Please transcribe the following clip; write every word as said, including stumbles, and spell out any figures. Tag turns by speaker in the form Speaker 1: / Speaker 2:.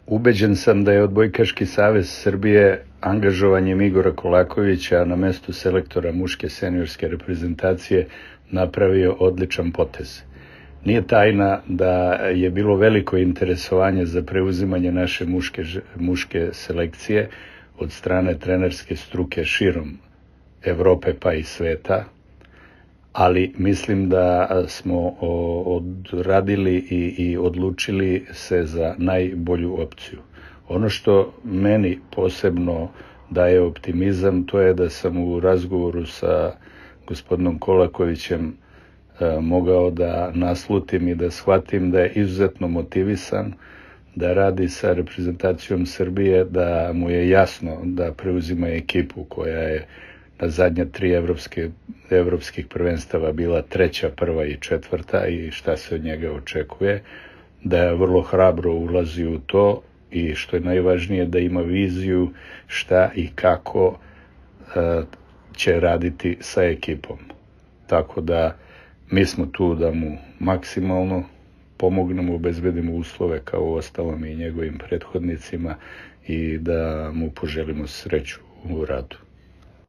Speaker 1: Ubeđen sam da je Odbojkaški savez Srbije angažovanjem Igora Kolakovića na mestu selektora muške seniorske reprezentacije napravio odličan potez. Nije tajna da je bilo veliko interesovanje za preuzimanje naše muške, muške selekcije od strane trenerske struke širom Evrope pa i sveta, ali mislim da smo odradili i, i odlučili se za najbolju opciju. Ono što meni posebno daje optimizam, to je da sam u razgovoru sa gospodinom Kolakovićem e, mogao da naslutim i da shvatim da je izuzetno motivisan da radi sa reprezentacijom Srbije, da mu je jasno da preuzima ekipu koja je na zadnja tri evropske, evropskih prvenstava bila treća, prva i četvrta i šta se od njega očekuje, da je vrlo hrabro ulazi u to i što je najvažnije da ima viziju šta i kako uh, će raditi sa ekipom. Tako da mi smo tu da mu maksimalno pomognemo, obezbedimo uslove kao u ostalom i njegovim prethodnicima i da mu poželimo sreću u radu.